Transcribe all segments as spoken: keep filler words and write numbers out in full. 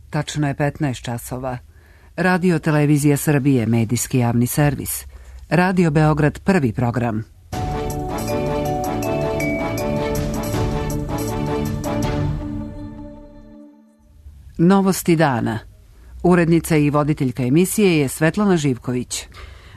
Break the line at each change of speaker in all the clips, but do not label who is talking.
Tačno je petnaest časova. Radio Televizija Srbije, medijski javni servis. Radio Beograd, prvi program. Novosti dana. Urednica i voditeljka emisije je Svetlana Živković.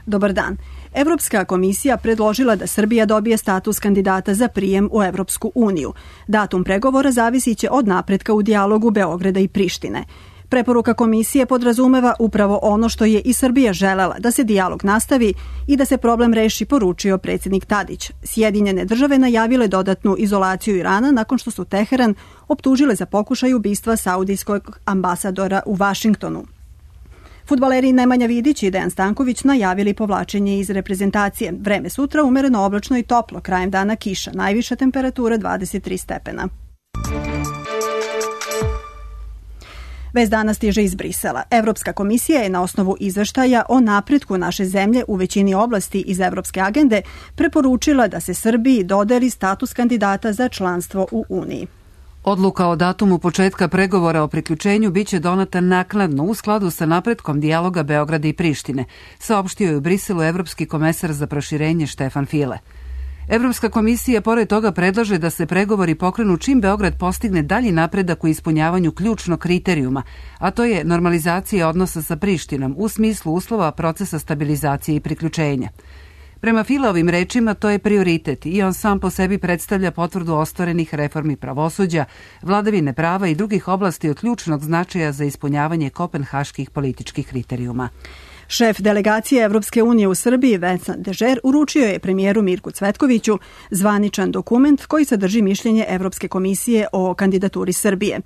Dobar dan. Evropska komisija predložila da Srbija dobije status kandidata za prijem u Evropsku uniju. Datum pregovora zavisiće od napretka u dijalogu Beograda i Prištine. Preporuka komisije podrazumeva upravo ono što je i Srbija želela, da se dijalog nastavi i da se problem reši, poručio predsjednik Tadić. Sjedinjene države najavile dodatnu izolaciju Irana nakon što su Teheran optužile za pokušaj ubistva saudijskog ambasadora u Vašingtonu. Fudbaleri Nemanja Vidić i Dejan Stanković najavili povlačenje iz reprezentacije. Vreme sutra umereno oblačno i toplo, krajem dana kiša, najviša temperatura dvadeset tri stepena. Vest dana stiže iz Brisela. Evropska komisija je na osnovu izveštaja o napretku naše zemlje u većini oblasti iz Evropske agende preporučila da se Srbiji dodeli status kandidata za članstvo u Uniji.
Odluka o datumu početka pregovora o priključenju biće donata naknadno u skladu sa napretkom dijaloga Beograda i Prištine, saopštio je u Briselu evropski komesar za proširenje Štefan File. Evropska komisija pored toga predlaže da se pregovori pokrenu čim Beograd postigne dalji napredak u ispunjavanju ključnog kriterijuma, a to je normalizacija odnosa sa Prištinom u smislu uslova procesa stabilizacije i priključenja. Prema Filovim rečima to je prioritet i on sam po sebi predstavlja potvrdu ostvarenih reformi pravosuđa, vladavine prava i drugih oblasti od ključnog značaja za ispunjavanje kopenhaških političkih kriterijuma.
Šef delegacije Evropske unije u Srbiji, Vincent Dežer, uručio je premijeru Mirku Cvetkoviću zvaničan dokument koji sadrži mišljenje Evropske komisije o kandidaturi Srbije.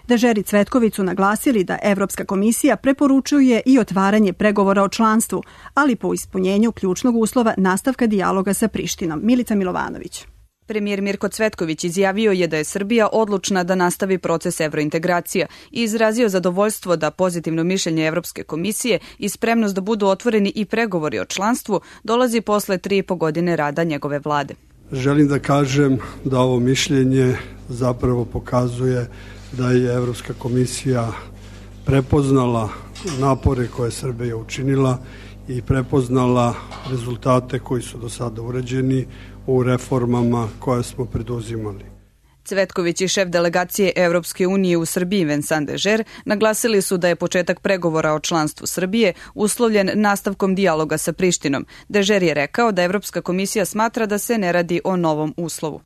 Dežer i Cvetković su naglasili da Evropska komisija preporučuje i otvaranje pregovora o članstvu, ali po ispunjenju ključnog uslova nastavka dijaloga sa Prištinom. Milica Milovanović.
Premijer Mirko Cvetković izjavio je da je Srbija odlučna da nastavi proces evrointegracija i izrazio zadovoljstvo da pozitivno mišljenje Evropske komisije i spremnost da budu otvoreni i pregovori o članstvu dolazi posle tri i po godine rada njegove vlade.
Želim da kažem da ovo mišljenje zapravo pokazuje da je Evropska komisija prepoznala napore koje Srbija učinila i prepoznala rezultate koji su do sada urađeni u reformama koje smo preduzimali.
Cvetković i šef delegacije Evropske unije u Srbiji Vincent Dežer naglasili su da je početak pregovora o članstvu Srbije uslovljen nastavkom dijaloga sa Prištinom. Dežer je rekao da Evropska komisija smatra da se ne radi o novom uslovu.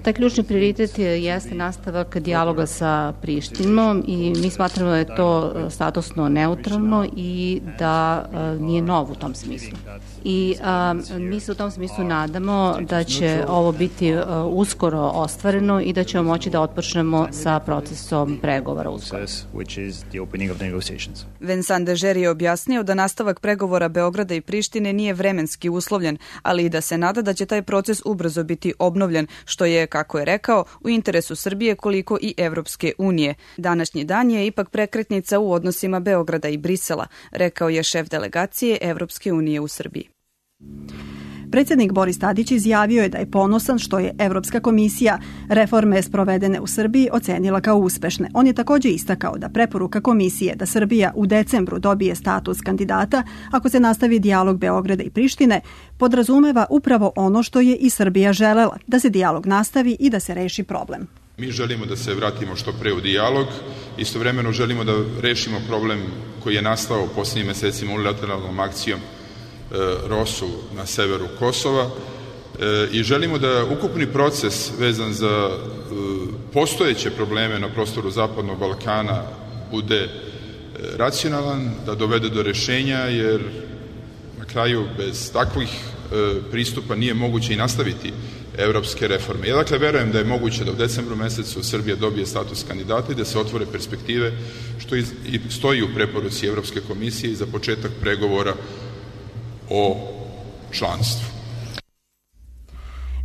Taj ključni prioritet jeste nastavak dijaloga sa Prištinom i mi smatramo da je to statusno neutralno i da nije nov u tom smislu. I a, mi se u tom smislu nadamo da će ovo biti a, uskoro ostvareno i da ćemo moći da otpočnemo sa procesom pregovora uskoro.
Vincent Dežer je objasnio da nastavak pregovora Beograda i Prištine nije vremenski uslovljen, ali i da se nada da će taj proces ubrzo biti obnovljen, što je, kako je rekao, u interesu Srbije koliko i Evropske unije. Današnji dan je ipak prekretnica u odnosima Beograda i Brisela, rekao je šef delegacije Evropske unije u Srbiji.
Predsjednik Boris Tadić izjavio je da je ponosan što je Evropska komisija reforme sprovedene u Srbiji ocenila kao uspešne. On je također istakao da preporuka komisije da Srbija u decembru dobije status kandidata ako se nastavi dijalog Beograda i Prištine podrazumeva upravo ono što je i Srbija želela, da se dijalog nastavi i da se reši problem.
Mi želimo da se vratimo što pre u dijalog, istovremeno želimo da rešimo problem koji je nastao u posljednjim mesecima unilateralnom akcijom Rosu na severu Kosova i želimo da ukupni proces vezan za postojeće probleme na prostoru Zapadnog Balkana bude racionalan, da dovede do rešenja, jer na kraju bez takvih pristupa nije moguće i nastaviti evropske reforme. Ja dakle verujem da je moguće da u decembru mesecu Srbija dobije status kandidata i da se otvore perspektive, što i stoji u preporuci Evropske komisije i za početak pregovora o članstvu.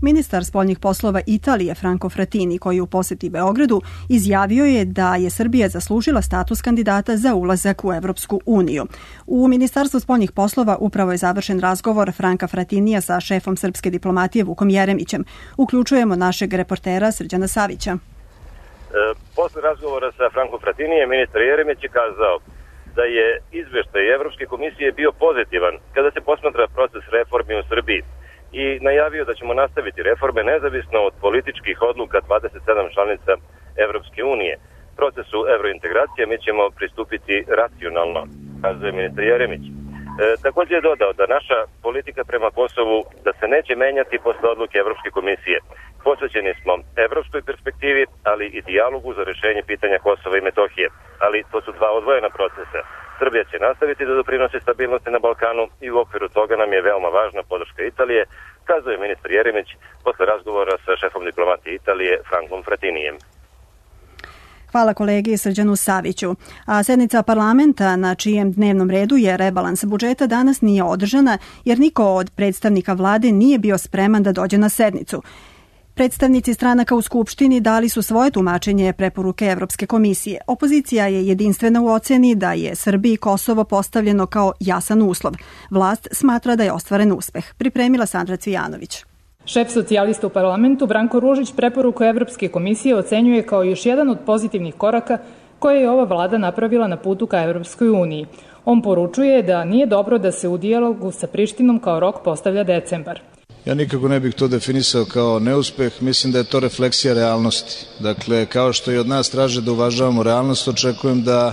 Ministar spoljnih poslova Italije Franco Frattini, koji u posjeti Beogradu, izjavio je da je Srbija zaslužila status kandidata za ulazak u Evropsku uniju. U Ministarstvu spoljnih poslova upravo je završen razgovor Franka Frattinija sa šefom srpske diplomatije Vukom Jeremićem. Uključujemo našeg reportera Srđana Savića.
Posle razgovora sa Frankom Fratinijem, ministar Jeremić je kazao da je izveštaj Evropske komisije bio pozitivan kada se posmatra proces reformi u Srbiji i najavio da ćemo nastaviti reforme nezavisno od političkih odluka dvadeset sedam članica Evropske unije. Procesu evrointegracije mi ćemo pristupiti racionalno, kazuje ministar Jeremić. E, također je dodao da naša politika prema Kosovu da se neće menjati posle odluke Evropske komisije. Posvećeni smo evropskoj perspektivi, ali i dijalogu za rešenje pitanja Kosova i Metohije. Ali to su dva odvojena procesa. Srbija će nastaviti da doprinosi stabilnosti na Balkanu i u okviru toga nam je veoma važna podrška Italije, kazuje ministar Jeremić posle razgovora sa šefom diplomatije Italije Frankom Fratinijem.
Hvala kolegi Srđanu Saviću. A sednica parlamenta na čijem dnevnom redu je rebalans budžeta danas nije održana jer niko od predstavnika vlade nije bio spreman da dođe na sednicu. Predstavnici stranaka u Skupštini dali su svoje tumačenje preporuke Evropske komisije. Opozicija je jedinstvena u oceni da je Srbiji Kosovo postavljeno kao jasan uslov. Vlast smatra da je ostvaren uspeh. Pripremila Sandra Cvijanović.
Šef socijalista u parlamentu Branko Ružić preporuku Evropske komisije ocenjuje kao još jedan od pozitivnih koraka koje je ova vlada napravila na putu ka Evropskoj uniji. On poručuje da nije dobro da se u dijalogu sa Prištinom kao rok postavlja decembar.
Ja nikako ne bih to definisao kao neuspeh, mislim da je to refleksija realnosti. Dakle, kao što i od nas traže da uvažavamo realnost, očekujem da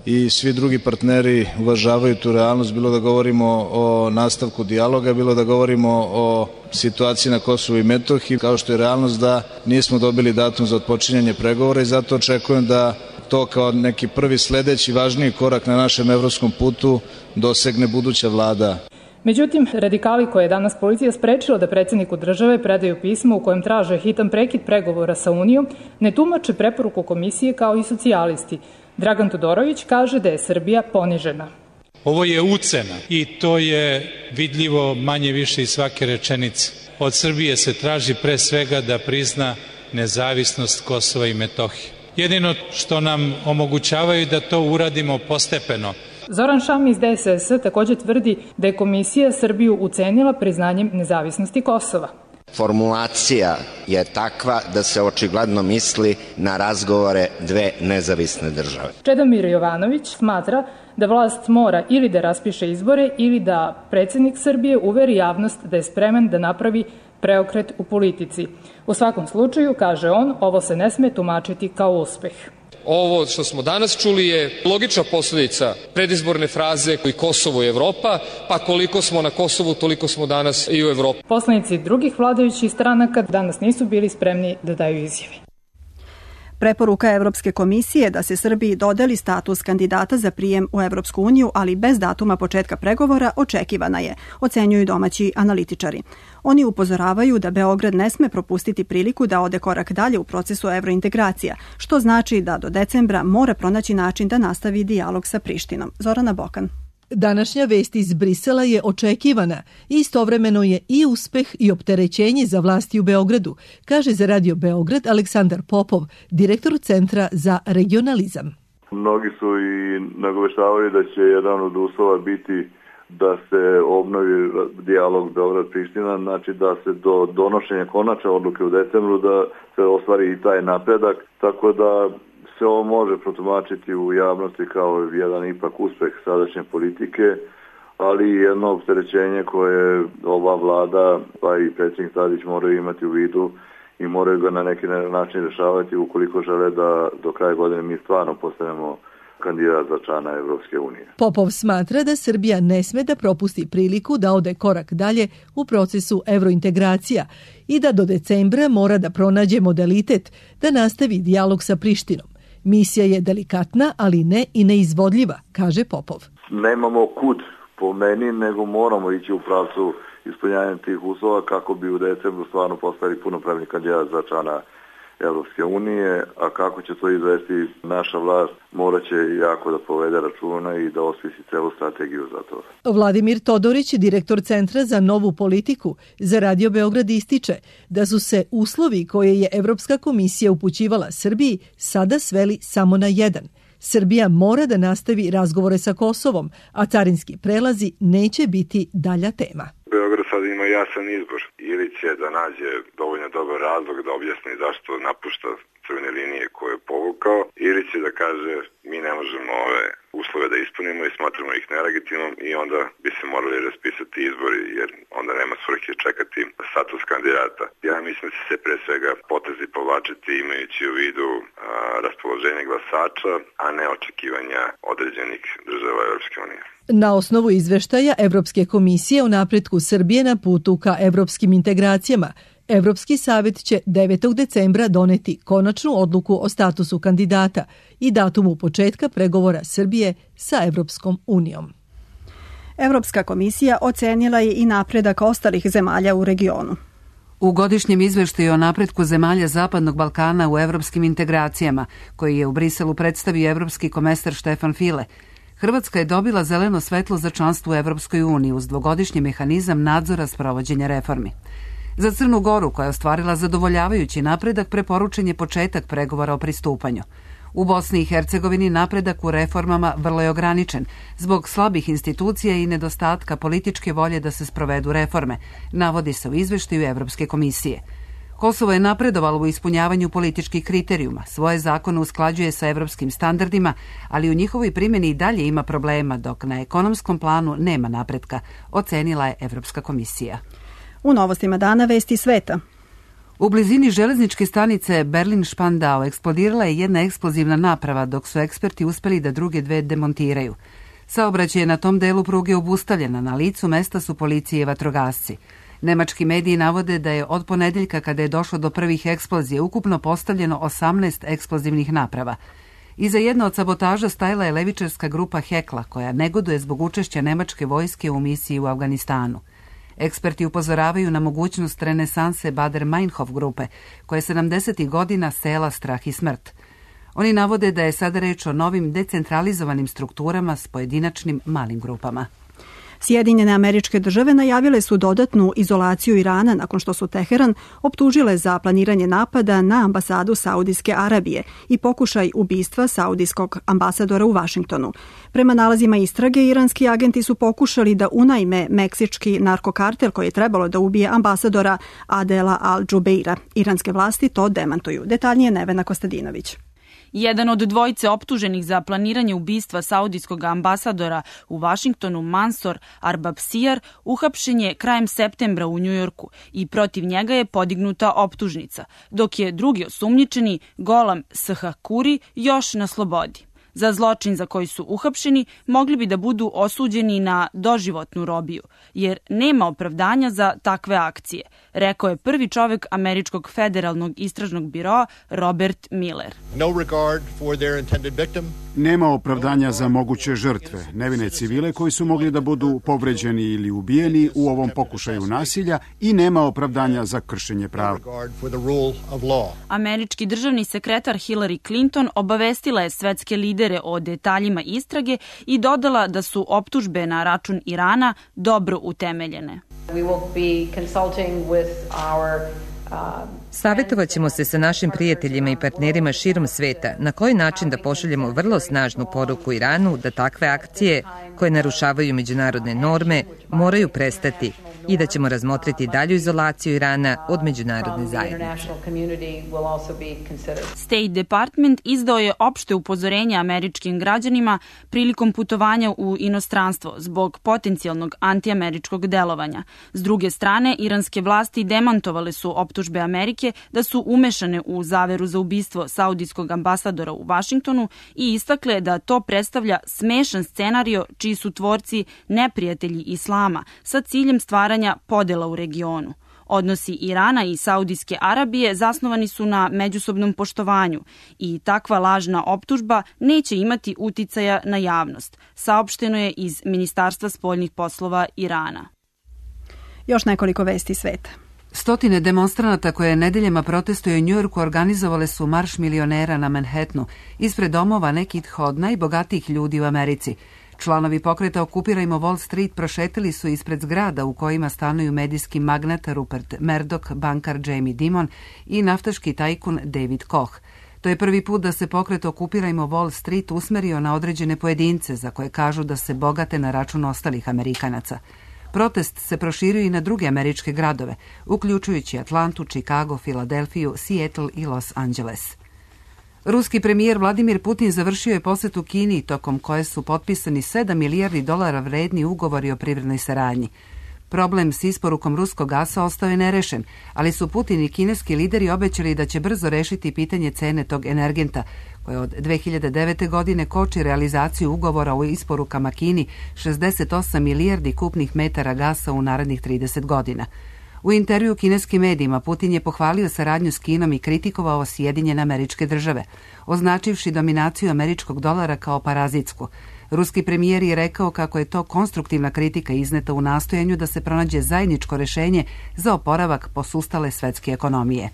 i svi drugi partneri uvažavaju tu realnost, bilo da govorimo o nastavku dijaloga, bilo da govorimo o situaciji na Kosovu i Metohiji, kao što je realnost da nismo dobili datum za otpočinjanje pregovora i zato očekujem da to kao neki prvi sledeći važniji korak na našem evropskom putu dosegne buduća vlada.
Međutim, radikali koje je danas policija sprečila da predsjedniku države predaju pismo u kojem traže hitan prekid pregovora sa Unijom, ne tumače preporuku komisije kao i socijalisti. Dragan Todorović kaže da je Srbija ponižena.
Ovo je ucena i to je vidljivo manje više iz svake rečenice. Od Srbije se traži pre svega da prizna nezavisnost Kosova i Metohije. Jedino što nam omogućavaju da to uradimo postepeno.
Zoran Šam iz D S S također tvrdi da je komisija Srbiju ucenila priznanjem nezavisnosti Kosova.
Formulacija je takva da se očigledno misli na razgovore dve nezavisne države.
Čedomir Jovanović smatra da vlast mora ili da raspiše izbore ili da predsjednik Srbije uveri javnost da je spreman da napravi preokret u politici. U svakom slučaju, kaže on, ovo se ne sme tumačiti kao uspeh.
Ovo što smo danas čuli je logična posljedica predizborne fraze koji Kosovo i Evropa, pa koliko smo na Kosovu, toliko smo danas i u Evropi.
Poslanici drugih vladajućih stranaka danas nisu bili spremni da daju izjave.
Preporuka Evropske komisije da se Srbiji dodeli status kandidata za prijem u Evropsku uniju, ali bez datuma početka pregovora, očekivana je, ocenjuju domaći analitičari. Oni upozoravaju da Beograd ne sme propustiti priliku da ode korak dalje u procesu evrointegracija, što znači da do decembra mora pronaći način da nastavi dijalog sa Prištinom. Zorana Bokan.
Današnja vest iz Brisela je očekivana i istovremeno je i uspeh i opterećenje za vlasti u Beogradu, kaže za Radio Beograd Aleksandar Popov, direktor Centra za regionalizam.
Mnogi su i nagoveštavali da će jedan od uslova biti da se obnovi dijalog Beograd-Priština, znači da se do donošenja konačne odluke u decembru da se ostvari i taj napredak, tako da se ovo može protumačiti u javnosti kao jedan ipak uspeh sadašnje politike, ali i jedno opterećenje koje ova vlada pa i predsjednik Tadić moraju imati u vidu i moraju ga na neki način rješavati ukoliko žele da do kraja godine mi stvarno postanemo kandidat za člana Evropske unije.
Popov smatra da Srbija ne sme da propusti priliku da ode korak dalje u procesu evrointegracija i da do decembra mora da pronađe modalitet da nastavi dijalog sa Prištinom. Misija je delikatna, ali ne i neizvodljiva, kaže Popov.
Nemamo kud po meni, nego moramo ići u pravcu ispunjanja tih uslova kako bi u decembru stvarno postali punopravni kandidat za člana Evropske unije, a kako će to izvesti naša vlast, morat će jako da povede računa i da osmisli celu strategiju za to.
Vladimir Todorić, direktor Centra za novu politiku, za Radio Beograd ističe da su se uslovi koje je Evropska komisija upućivala Srbiji sada sveli samo na jedan. Srbija mora da nastavi razgovore sa Kosovom, a carinski prelazi neće biti dalja tema.
Beograd sada ima jasan izbor. Ili će da nađe dovoljno dobar razlog da objasni zašto napušta crvene linije koje je povukao, ili će da kaže mi ne možemo ove uslove da ispunimo i smatramo ih nelegitimnom i onda bi se morali raspisati izbori jer onda nema svrhe čekati status kandidata. Ja mislim da će se pre svega potezi povlačiti imajući u vidu a, raspoloženje glasača, a ne očekivanja određenih država Evropske unije.
Na osnovu izveštaja Evropske komisije o napretku Srbije na putu ka evropskim integracijama, Evropski savjet će devetog decembra doneti konačnu odluku o statusu kandidata i datumu početka pregovora Srbije sa Evropskom unijom.
Evropska komisija ocenila je i napredak ostalih zemalja u regionu.
U godišnjem izveštaju o napretku zemalja Zapadnog Balkana u evropskim integracijama, koji je u Briselu predstavio evropski komesar Štefan File, Hrvatska je dobila zeleno svetlo za članstvo u Evropskoj uniji uz dvogodišnji mehanizam nadzora sprovođenja reformi. Za Crnu Goru, koja je ostvarila zadovoljavajući napredak, preporučen je početak pregovora o pristupanju. U Bosni i Hercegovini napredak u reformama vrlo je ograničen zbog slabih institucija i nedostatka političke volje da se sprovedu reforme, navodi se u izveštaju Evropske komisije. Kosovo je napredovalo u ispunjavanju političkih kriterijuma, svoje zakone usklađuje sa evropskim standardima, ali u njihovoj primjeni i dalje ima problema, dok na ekonomskom planu nema napretka, ocenila je Evropska komisija.
U novostima dana vesti sveta.
U blizini železničke stanice Berlin-Spandau eksplodirala je jedna eksplozivna naprava, dok su eksperti uspeli da druge dve demontiraju. Saobraćaj je na tom delu pruge obustavljena, na licu mesta su policije i vatrogasci. Nemački mediji navode da je od ponedeljka, kada je došlo do prvih eksplozija, ukupno postavljeno osamnaest eksplozivnih naprava. Iza jedne od sabotaža stajala je levičarska grupa Hekla, koja negoduje zbog učešća nemačke vojske u misiji u Afganistanu. Eksperti upozoravaju na mogućnost renesanse Bader-Meinhof grupe, koja je sedamdesetih godina sela strah i smrt. Oni navode da je sada reč o novim decentralizovanim strukturama s pojedinačnim malim grupama.
Sjedinjene Američke Države najavile su dodatnu izolaciju Irana nakon što su Teheran optužile za planiranje napada na ambasadu Saudijske Arabije i pokušaj ubistva saudijskog ambasadora u Vašingtonu. Prema nalazima istrage, iranski agenti su pokušali da unajme meksički narkokartel koji je trebalo da ubije ambasadora Adela Al-Džubeira. Iranske vlasti to demantuju. Detaljnije Nevena Kostadinović.
Jedan od dvojice optuženih za planiranje ubistva saudijskog ambasadora u Vašingtonu, Mansor Arbabsijar, uhapšen je krajem septembra u Njujorku i protiv njega je podignuta optužnica, dok je drugi osumnjičeni, Golam Shakuri, još na slobodi. Za zločin za koji su uhapšeni mogli bi da budu osuđeni na doživotnu robiju, jer nema opravdanja za takve akcije, rekao je prvi čovek Američkog federalnog istražnog biroa Robert Miller.
No regard for their intended victim.
Nema opravdanja za moguće žrtve, nevine civile koji su mogli da budu povređeni ili ubijeni u ovom pokušaju nasilja i nema opravdanja za kršenje prava.
Američki državni sekretar Hillary Clinton obavestila je svetske lidere o detaljima istrage i dodala da su optužbe na račun Irana dobro utemeljene.
We will be consulting with our
Savjetovat ćemo se sa našim prijateljima i partnerima širom sveta na koji način da pošaljemo vrlo snažnu poruku Iranu da takve akcije koje narušavaju međunarodne norme moraju prestati i da ćemo razmotriti dalju izolaciju Irana od međunarodne zajednice.
State Department izdao je opšte upozorenje američkim građanima prilikom putovanja u inostranstvo zbog potencijalnog antiameričkog delovanja. S druge strane, iranske vlasti demantovale su optužbe Amerike da su umešane u zaveru za ubistvo saudijskog ambasadora u Vašingtonu i istakle da to predstavlja smešan scenario čiji su tvorci neprijatelji islama sa ciljem stvaranja podela u regionu. Odnosi Irana i Saudijske Arabije zasnovani su na međusobnom poštovanju i takva lažna optužba neće imati uticaja na javnost, saopšteno je iz Ministarstva spoljnih poslova Irana.
Još nekoliko vesti sveta.
Stotine demonstranata koje nedeljama protestuju u Njujorku organizovale su marš milionera na Manhattanu ispred domova nekih od najbogatijih ljudi u Americi. Članovi pokreta Okupirajmo Wall Street prošetili su ispred zgrada u kojima stanuju medijski magnat Rupert Murdoch, bankar Jamie Dimon i naftaški tajkun David Koch. To je prvi put da se pokret Okupirajmo Wall Street usmerio na određene pojedince za koje kažu da se bogate na račun ostalih Amerikanaca. Protest se proširio i na druge američke gradove, uključujući Atlantu, Chicago, Filadelfiju, Seattle i Los Angeles. Ruski premijer Vladimir Putin završio je posetu Kini, tokom koje su potpisani sedam milijardi dolara vredni ugovori o privrednoj saradnji. Problem s isporukom ruskog gasa ostao je nerešen, ali su Putin i kineski lideri obećali da će brzo rešiti pitanje cene tog energenta, koje od dve hiljade devete. godine koči realizaciju ugovora o isporukama Kini šezdeset osam milijardi kupnih metara gasa u narednih trideset godina. U intervju kineskim medijima Putin je pohvalio saradnju s Kinom i kritikovao Sjedinjene Američke Države, označivši dominaciju američkog dolara kao parazitsku. Ruski premijer je rekao kako je to konstruktivna kritika izneta u nastojanju da se pronađe zajedničko rešenje za oporavak posustale svetske ekonomije.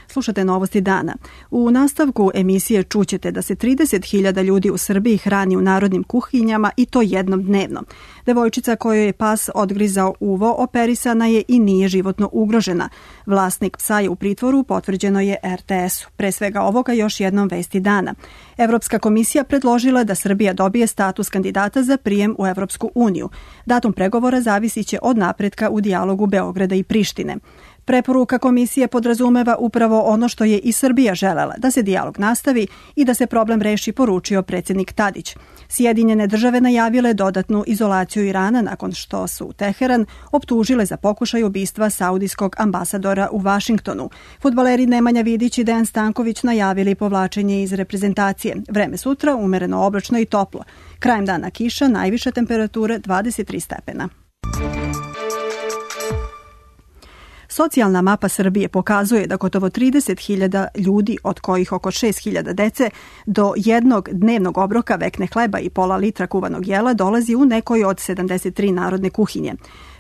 Slušate Novosti dana. U nastavku emisije čućete da se trideset hiljada ljudi u Srbiji hrani u narodnim kuhinjama i to jednom dnevno. Devojčica kojoj je pas odgrizao uvo operisana je i nije životno ugrožena. Vlasnik psa je u pritvoru, potvrđeno je er te esu. Pre svega ovoga još jednom vesti dana. Evropska komisija predložila da Srbija dobije status kandidata za prijem u Evropsku uniju. Datum pregovora zavisiće od napretka u dijalogu Beograda i Prištine. Preporuka komisije podrazumeva upravo ono što je i Srbija želela, da se dijalog nastavi i da se problem reši, poručio predsjednik Tadić. Sjedinjene države najavile dodatnu izolaciju Irana nakon što su Teheran optužile za pokušaj ubistva saudijskog ambasadora u Vašingtonu. Fudbaleri Nemanja Vidić i Dejan Stanković najavili povlačenje iz reprezentacije. Vreme sutra umereno oblačno i toplo. Krajem dana kiša, najviše temperature dvadeset tri stepena. Socijalna mapa Srbije pokazuje da gotovo trideset hiljada ljudi, od kojih oko šest hiljada dece, do jednog dnevnog obroka vekne hleba i pola litra kuvanog jela dolazi u nekoj od sedamdeset tri narodne kuhinje.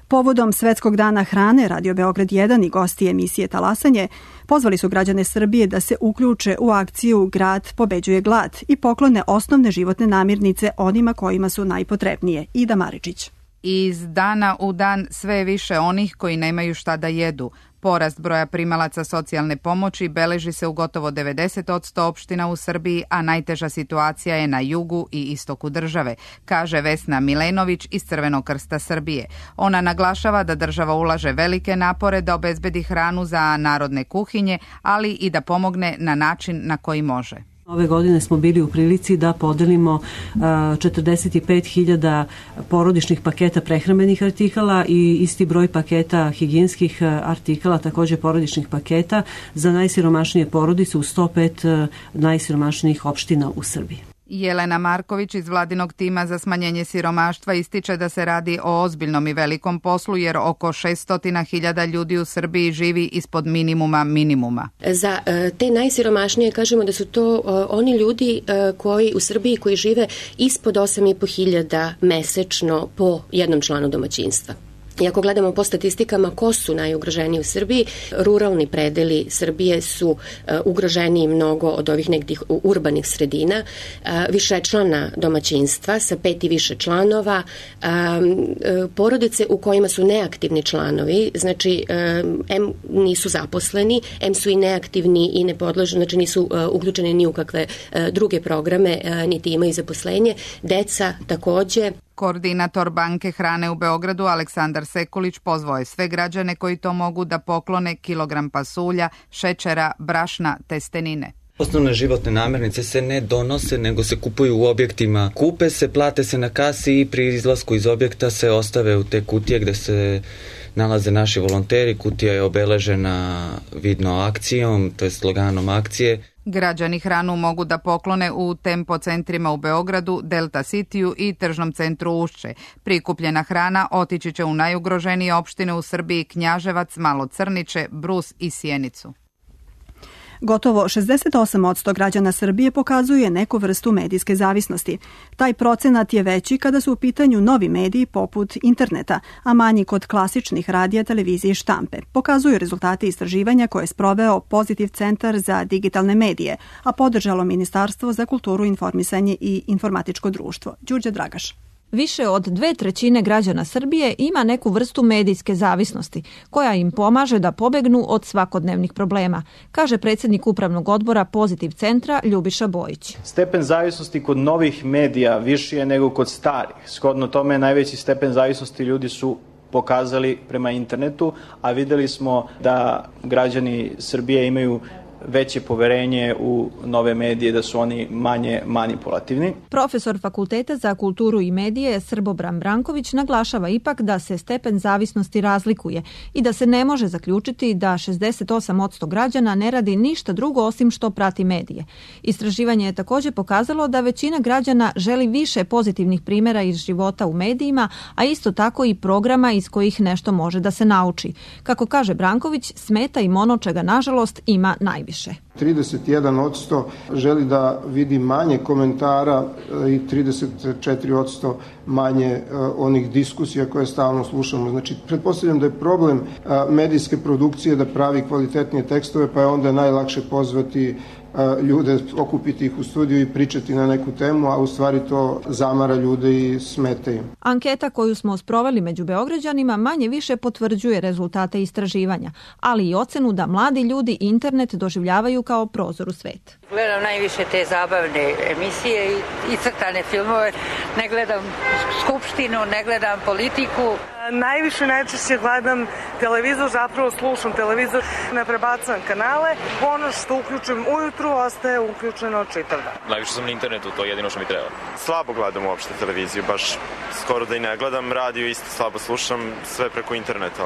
Povodom Svetskog dana hrane, Radio Beograd jedan i gosti emisije Talasanje pozvali su građane Srbije da se uključe u akciju Grad pobeđuje glad i poklone osnovne životne namirnice onima kojima su najpotrebnije. Ida Maričić.
Iz dana u dan sve je više onih koji nemaju šta da jedu. Porast broja primalaca socijalne pomoći beleži se u gotovo devedeset posto opština u Srbiji, a najteža situacija je na jugu i istoku države, kaže Vesna Milenović iz Crvenog krsta Srbije. Ona naglašava da država ulaže velike napore da obezbedi hranu za narodne kuhinje, ali i da pomogne na način na koji može.
Ove godine smo bili u prilici da podelimo četrdeset pet hiljada porodičnih paketa prehrambenih artikala i isti broj paketa higijenskih artikala, također porodičnih paketa za najsiromašnije porodice u sto pet najsiromašnijih opština u Srbiji.
Jelena Marković iz vladinog tima za smanjenje siromaštva ističe da se radi o ozbiljnom i velikom poslu jer oko šesto hiljada ljudi u Srbiji živi ispod minimuma minimuma.
Za te najsiromašnije kažemo da su to oni ljudi koji u Srbiji koji žive ispod osam i po hiljada mesečno po jednom članu domaćinstva. I ako gledamo po statistikama ko su najugroženiji u Srbiji, ruralni predeli Srbije su uh, ugroženiji mnogo od ovih nekih urbanih sredina, uh, višečlana domaćinstva sa pet i više članova, um, uh, porodice u kojima su neaktivni članovi, znači um, em nisu zaposleni, em su i neaktivni i ne podležu, znači nisu uh, uključeni ni u kakve uh, druge programe, uh, niti imaju zaposlenje, deca takođe.
Koordinator Banke hrane u Beogradu Aleksandar Sekulić pozvao je sve građane koji to mogu da poklone kilogram pasulja, šećera, brašna, testenine.
Osnovne životne namirnice se ne donose, nego se kupuju u objektima. Kupe se, plate se na kasi i pri izlasku iz objekta se ostave u te kutije gde se nalaze naši volonteri. Kutija je obeležena vidno akcijom, to je sloganom akcije.
Građani hranu mogu da poklone u Tempo centrima u Beogradu, Delta Cityu i tržnom centru Ušće. Prikupljena hrana otići će u najugroženije opštine u Srbiji: Knjaževac, Malo Crniče, Brus i Sjenicu.
Gotovo šezdeset osam posto građana Srbije pokazuje neku vrstu medijske zavisnosti. Taj procenat je veći kada su u pitanju novi mediji poput interneta, a manji kod klasičnih radija, televizije i štampe. Pokazuju rezultati istraživanja koje je sproveo Pozitiv centar za digitalne medije, a podržalo Ministarstvo za kulturu, informisanje i informatičko društvo. Đurđa Dragaš.
Više od dve trećine građana Srbije ima neku vrstu medijske zavisnosti, koja im pomaže da pobegnu od svakodnevnih problema, kaže predsjednik Upravnog odbora Pozitiv centra Ljubiša Bojić.
Stepen zavisnosti kod novih medija viši je nego kod starih. Shodno tome najveći stepen zavisnosti ljudi su pokazali prema internetu, a videli smo da građani Srbije imaju veće poverenje u nove medije, da su oni manje manipulativni.
Profesor Fakulteta za kulturu i medije Srbobran Branković naglašava ipak da se stepen zavisnosti razlikuje i da se ne može zaključiti da šezdeset osam posto građana ne radi ništa drugo osim što prati medije. Istraživanje je također pokazalo da većina građana želi više pozitivnih primjera iz života u medijima, a isto tako i programa iz kojih nešto može da se nauči. Kako kaže Branković, smeta im ono čega nažalost ima najviše.
trideset jedan posto želi da vidi manje komentara i trideset četiri posto manje onih diskusija koje stalno slušamo. Znači, pretpostavljam da je problem medijske produkcije da pravi kvalitetnije tekstove, pa je onda najlakše pozvati ljude, okupiti ih u studiju i pričati na neku temu, a u stvari to zamara ljude i smeta im.
Anketa koju smo sproveli među Beograđanima manje više potvrđuje rezultate istraživanja, ali i ocenu da mladi ljudi internet doživljavaju kao prozor u svet.
Gledam najviše te zabavne emisije i crtane filmove, ne gledam skupštinu, ne gledam politiku.
Najviše najčešće gledam televizor, zapravo slušam televizor, ne prebacujem kanale. Ono što uključujem ujutru ostaje uključeno čitav dan.
Najviše sam na internetu, to je jedino što mi treba.
Slabo gledam uopšte televiziju, baš skoro da i ne gledam. Radio isto slabo slušam, sve preko interneta.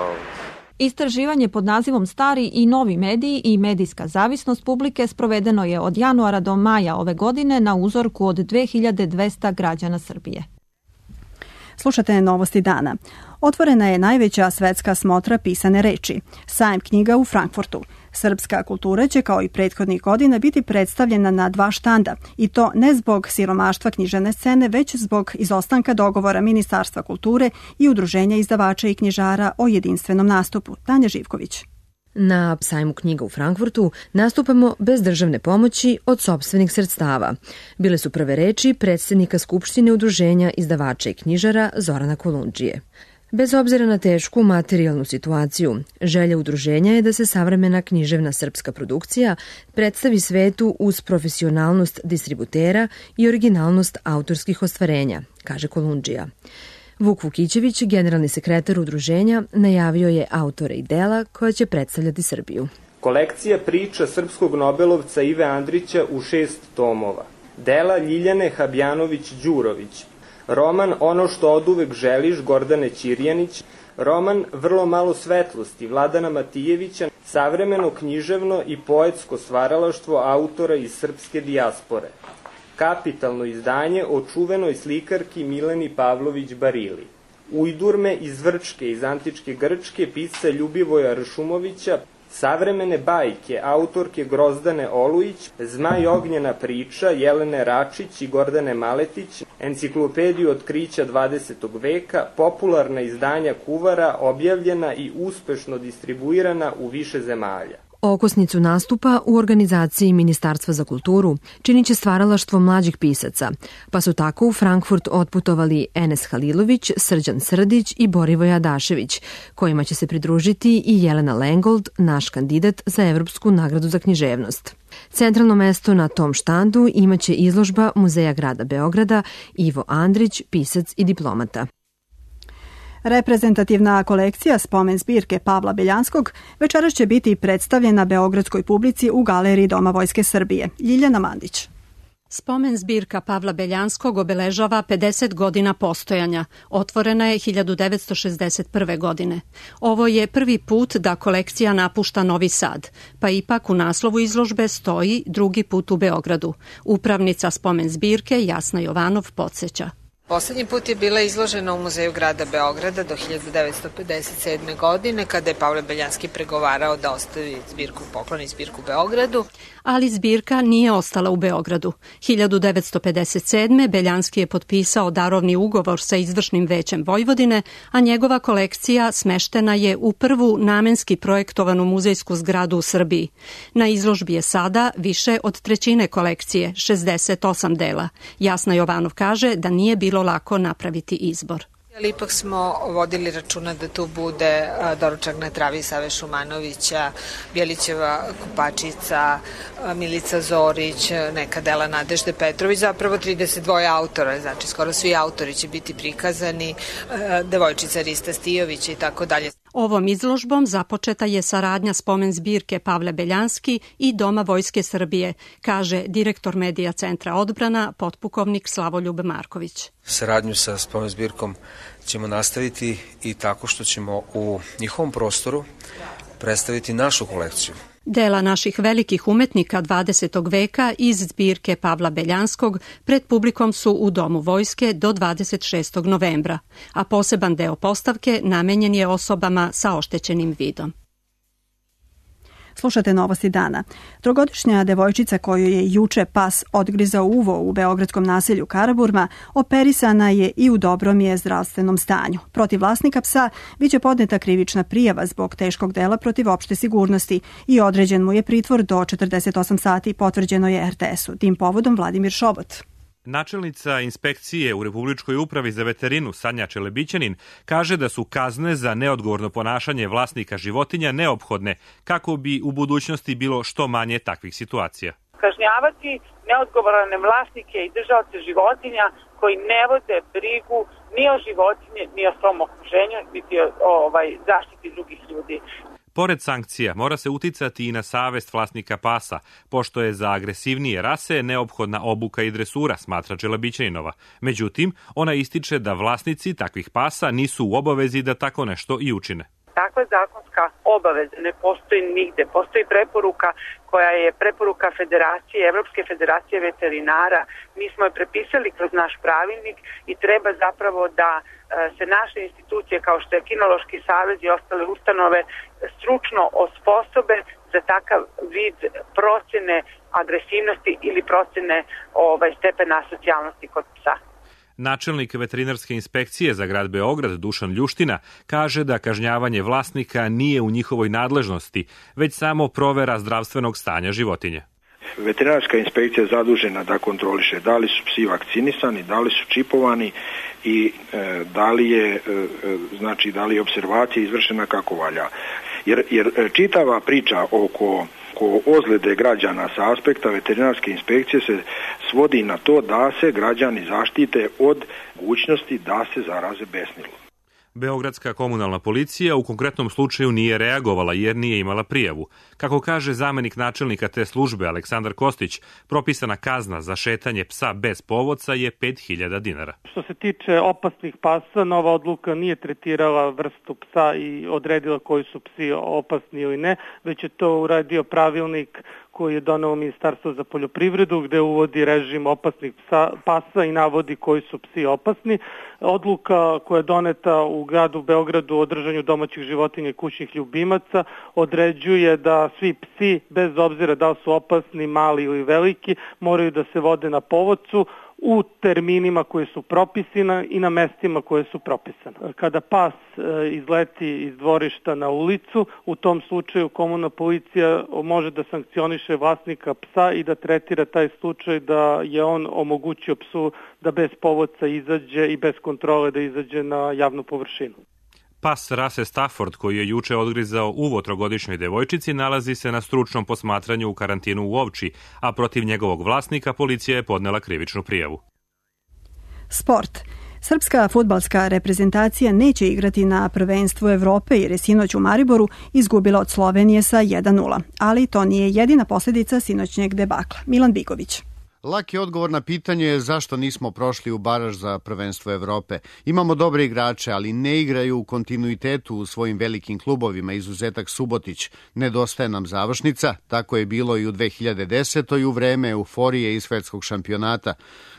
Istraživanje pod nazivom Stari i novi mediji i medijska zavisnost publike sprovedeno je od januara do maja ove godine na uzorku od dve hiljade dvesta građana Srbije.
Slušate Novosti dana. Otvorena je najveća svetska smotra pisane reči, sajam knjiga u Frankfurtu. Srpska kultura će kao i prethodnih godina biti predstavljena na dva štanda i to ne zbog siromaštva književne scene, već zbog izostanka dogovora Ministarstva kulture i Udruženja izdavača i knjižara o jedinstvenom nastupu. Tanja Živković.
Na sajmu knjiga u Frankfurtu nastupamo bez državne pomoći od sopstvenih sredstava. Bile su prve reči predsjednika Skupštine Udruženja izdavača i knjižara Zorana Kolundžije. Bez obzira na tešku materijalnu situaciju, želja udruženja je da se savremena književna srpska produkcija predstavi svetu uz profesionalnost distributera i originalnost autorskih ostvarenja, kaže Kolundžija. Vuk Vukićević, generalni sekretar udruženja, najavio je autore i dela koja će predstavljati Srbiju.
Kolekcija priča srpskog nobelovca Ive Andrića u šest tomova. Dela Ljiljane Habjanović-Đurović. Roman Ono što oduvek želiš Gordane Ćirjanić. Roman Vrlo malo svetlosti Vladana Matijevića. Savremeno književno i poetsko stvaralaštvo autora iz srpske dijaspore. Kapitalno izdanje o čuvenoj slikarki Mileni Pavlović Barili. Ujdurme iz Vrčke iz antičke Grčke pisca Ljubivoja Ršumovića. Savremene bajke autorke Grozdane Olujić, Zmaj ognjena priča Jelene Račić i Gordane Maletić, enciklopediju otkrića dvadesetog veka, popularna izdanja Kuvara objavljena i uspešno distribuirana u više zemalja.
Okosnicu nastupa u organizaciji Ministarstva za kulturu činit će stvaralaštvo mlađih pisaca, pa su tako u Frankfurt otputovali Enes Halilović, Srđan Srdić i Borivoje Adašević, kojima će se pridružiti i Jelena Lengold, naš kandidat za Evropsku nagradu za književnost. Centralno mesto na tom štandu imaće izložba Muzeja grada Beograda Ivo Andrić, pisac i diplomata.
Reprezentativna kolekcija spomen zbirke Pavla Beljanskog večeras će biti predstavljena beogradskoj publici u Galeriji Doma Vojske Srbije. Ljiljana Mandić.
Spomen zbirka Pavla Beljanskog obeležava pedeset godina postojanja. Otvorena je hiljadu devetsto šezdeset prve. godine. Ovo je prvi put da kolekcija napušta Novi Sad, pa ipak u naslovu izložbe stoji drugi put u Beogradu. Upravnica spomen zbirke Jasna Jovanov podsjeća.
Poslednji put je bila izložena u Muzeju grada Beograda do hiljadu devetsto pedeset sedme. godine, kada je Pavle Beljanski pregovarao da ostavi zbirku, pokloni zbirku Beogradu.
Ali zbirka nije ostala u Beogradu. hiljadu devetsto pedeset sedme. Beljanski je potpisao darovni ugovor sa izvršnim većem Vojvodine, a njegova kolekcija smeštena je u prvu namenski projektovanu muzejsku zgradu u Srbiji. Na izložbi je sada više od trećine kolekcije, šezdeset osam dela. Jasna Jovanov kaže da nije bilo bilo lako napraviti izbor.
Ali ipak smo vodili računa da tu bude doručak na travi Save Šumanovića, Bjelićeva Kupačica, Milica Zorić, neka dela Nadežde Petrović, zapravo trideset dva autora, znači skoro svi autori će biti prikazani, devojčica Rista Stijović i tako dalje.
Ovom izložbom započeta je saradnja spomen zbirke Pavle Beljanski i Doma Vojske Srbije, kaže direktor Medija centra Odbrana, potpukovnik Slavoljub Marković.
Saradnju sa spomen zbirkom ćemo nastaviti i tako što ćemo u njihovom prostoru predstaviti našu kolekciju.
Dela naših velikih umetnika dvadesetog veka iz zbirke Pavla Beljanskog pred publikom su u Domu Vojske do dvadeset šestog novembra, a poseban deo postavke namenjen je osobama sa oštećenim vidom.
Slušate Novosti dana. Trogodišnja devojčica koju je juče pas odgrizao uvo u beogradskom naselju Karaburma operisana je i u dobrom je zdravstvenom stanju. Protiv vlasnika psa biće podneta krivična prijava zbog teškog dela protiv opšte sigurnosti i određen mu je pritvor do četrdeset osam sati, potvrđeno je er te esu. Tim povodom Vladimir Šobot.
Načelnica inspekcije u Republičkoj upravi za veterinu Sanja Čelebićanin kaže da su kazne za neodgovorno ponašanje vlasnika životinja neophodne kako bi u budućnosti bilo što manje takvih situacija.
Kažnjavati neodgovorne vlasnike i držaoce životinja koji ne vode brigu ni o životinje, ni o svom okruženju, niti o ovaj, zaštiti drugih ljudi.
Pored sankcija, mora se uticati i na savest vlasnika pasa, pošto je za agresivnije rase neophodna obuka i dresura, smatra Čelebićaninova. Međutim, ona ističe da vlasnici takvih pasa nisu u obavezi da tako nešto i učine.
Takva zakonska obaveza ne postoji nigde. Postoji preporuka koja je preporuka Federacije, Evropske federacije veterinara. Mi smo je prepisali kroz naš pravilnik i treba zapravo da se naše institucije kao što je Kinološki savez i ostale ustanove stručno osposobe za takav vid procene agresivnosti ili procene ovaj, stepena asocijalnosti kod psa.
Načelnik veterinarske inspekcije za grad Beograd Dušan Ljuština kaže da kažnjavanje vlasnika nije u njihovoj nadležnosti, već samo provera zdravstvenog stanja životinje.
Veterinarska inspekcija je zadužena da kontroliše da li su psi vakcinisani, da li su čipovani i e, da li je e, znači da li je opservacija izvršena kako valja. Jer, jer čitava priča oko oko ozljede građana sa aspekta veterinarske inspekcije se svodi na to da se građani zaštite od mogućnosti da se zaraze besnilom.
Beogradska komunalna policija u konkretnom slučaju nije reagovala jer nije imala prijavu. Kako kaže zamenik načelnika te službe Aleksandar Kostić, propisana kazna za šetanje psa bez povodca je pet hiljada dinara.
Što se tiče opasnih pasa, nova odluka nije tretirala vrstu psa i odredila koji su psi opasni ili ne, već je to uradio pravilnik koji je donelo Ministarstvo za poljoprivredu, gde uvodi režim opasnih psa, pasa i navodi koji su psi opasni. Odluka koja je doneta u gradu Beogradu o držanju domaćih životinja i kućnih ljubimaca određuje da svi psi, bez obzira da li su opasni, mali ili veliki, moraju da se vode na povodcu u terminima koji su propisani i na mestima koje su propisane. Kada pas izleti iz dvorišta na ulicu, u tom slučaju komunalna policija može da sankcioniše vlasnika psa i da tretira taj slučaj da je on omogućio psu da bez povodca izađe i bez kontrole da izađe na javnu površinu.
Pas rase Stafford, koji je juče odgrizao uvo trogodišnjoj devojčici, nalazi se na stručnom posmatranju u karantinu u Ovči, a protiv njegovog vlasnika policija je podnela krivičnu prijavu.
Sport. Srpska fudbalska reprezentacija neće igrati na prvenstvu Evrope jer je sinoć u Mariboru izgubila od Slovenije sa jedan nula. Ali to nije jedina posljedica sinoćnjeg debakla. Milan Bigović.
Laki odgovor na pitanje je zašto nismo prošli u baraž za prvenstvo Evrope. Imamo dobre igrače, ali ne igraju u kontinuitetu u svojim velikim klubovima, izuzetak Subotić. Nedostaje nam završnica, tako je bilo i u dve hiljade desetoj u vreme euforije iz svetskog šampionata.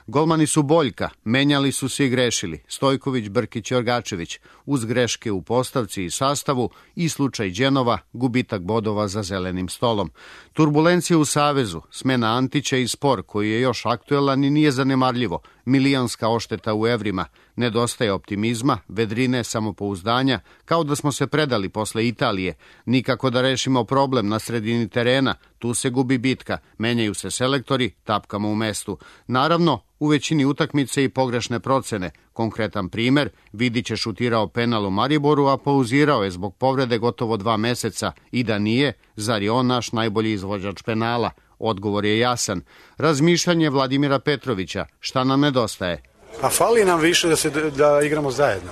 Golmani su boljka, menjali su se i grešili. Stojković, Brkić i Orgačević. Uz greške u postavci i sastavu i slučaj Đenova, gubitak bodova za zelenim stolom. Turbulencija u Savezu, smena Antića i spor koji je je još aktuelan i nije zanemarljivo. Milionska ošteta u evrima, nedostaje optimizma, vedrine, samopouzdanja, kao da smo se predali posle Italije. Nikako da rešimo problem na sredini terena, tu se gubi bitka, menjaju se selektori, tapkamo u mestu. Naravno, u većini utakmice i pogrešne procene. Konkretan primer, Vidić je šutirao penal u Mariboru, a pauzirao je zbog povrede gotovo dva meseca. I da nije, zar je on naš najbolji izvođač penala? Odgovor je jasan. Razmišljanje Vladimira Petrovića, šta nam nedostaje?
A fali nam više da, se, da igramo zajedno.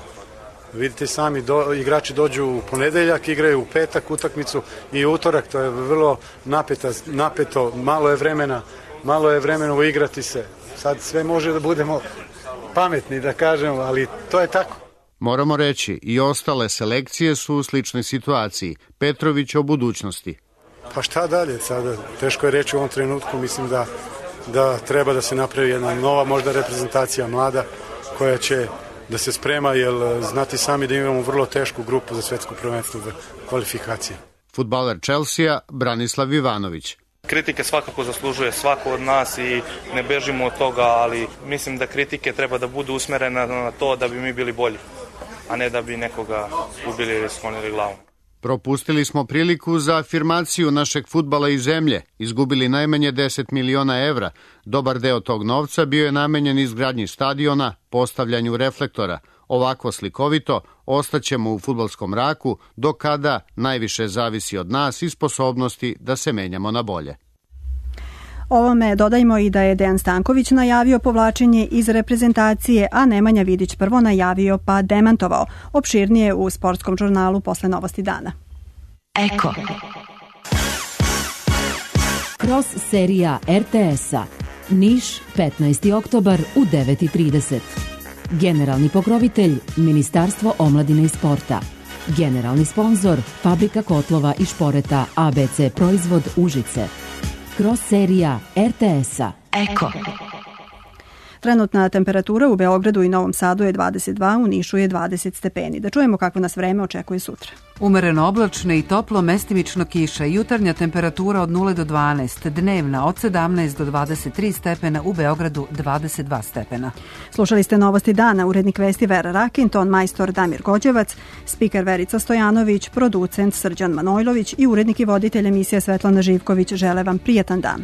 Vidite sami, do, igrači dođu u ponedeljak, igraju u petak utakmicu i utorak, to je vrlo napeta, napeto, malo je vremena, malo je vremena uigrati se. Sad sve može da budemo pametni, da kažemo, ali to je tako.
Moramo reći, i ostale selekcije su u sličnoj situaciji. Petrović o budućnosti.
Pa šta dalje sada? Teško je reći u ovom trenutku, mislim da, da treba da se napravi jedna nova možda reprezentacija mlada koja će da se sprema, jer znati sami da imamo vrlo tešku grupu za svetsko prvenstvo kvalifikacije.
Fudbaler Chelsea Branislav Ivanović.
Kritike svakako zaslužuje svako od nas i ne bežimo od toga, ali mislim da kritike treba da budu usmerene na to da bi mi bili bolji, a ne da bi nekoga ubili ili sklonili glavom.
Propustili smo priliku za afirmaciju našeg fudbala i zemlje, izgubili najmanje deset miliona evra. Dobar deo tog novca bio je namenjen izgradnji stadiona, postavljanju reflektora. Ovako slikovito ostaćemo u fudbalskom mraku, do kada najviše zavisi od nas i sposobnosti da se menjamo na bolje.
Ovome dodajmo i da je Dejan Stanković najavio povlačenje iz reprezentacije, a Nemanja Vidić prvo najavio pa demantovao. Opširnije u sportskom žurnalu posle Novosti dana.
Eko. Kroz serija er te es-a. Niš, petnaesti oktobar u devet i trideset. Generalni pokrovitelj Ministarstvo omladine i sporta. Generalni sponzor Fabrika kotlova i šporeta a be ce Proizvod Užice. Kroz serija er te es-a. Eko.
Trenutna temperatura u Beogradu i Novom Sadu je dvadeset dva, u Nišu je dvadeset stepeni. Da čujemo kako nas vreme očekuje sutra.
Umereno oblačno i toplo, mestimično kiša. Jutarnja temperatura od nula do dvanaest, dnevna od sedamnaest do dvadeset tri stepena, u Beogradu dvadeset dva stepena.
Slušali ste Novosti dana, urednik vesti Vera Rakin, ton majstor Damir Gođevac, spiker Verica Stojanović, producent Srđan Manojlović i urednik i voditelj emisije Svetlana Živković. Žele vam prijatan dan.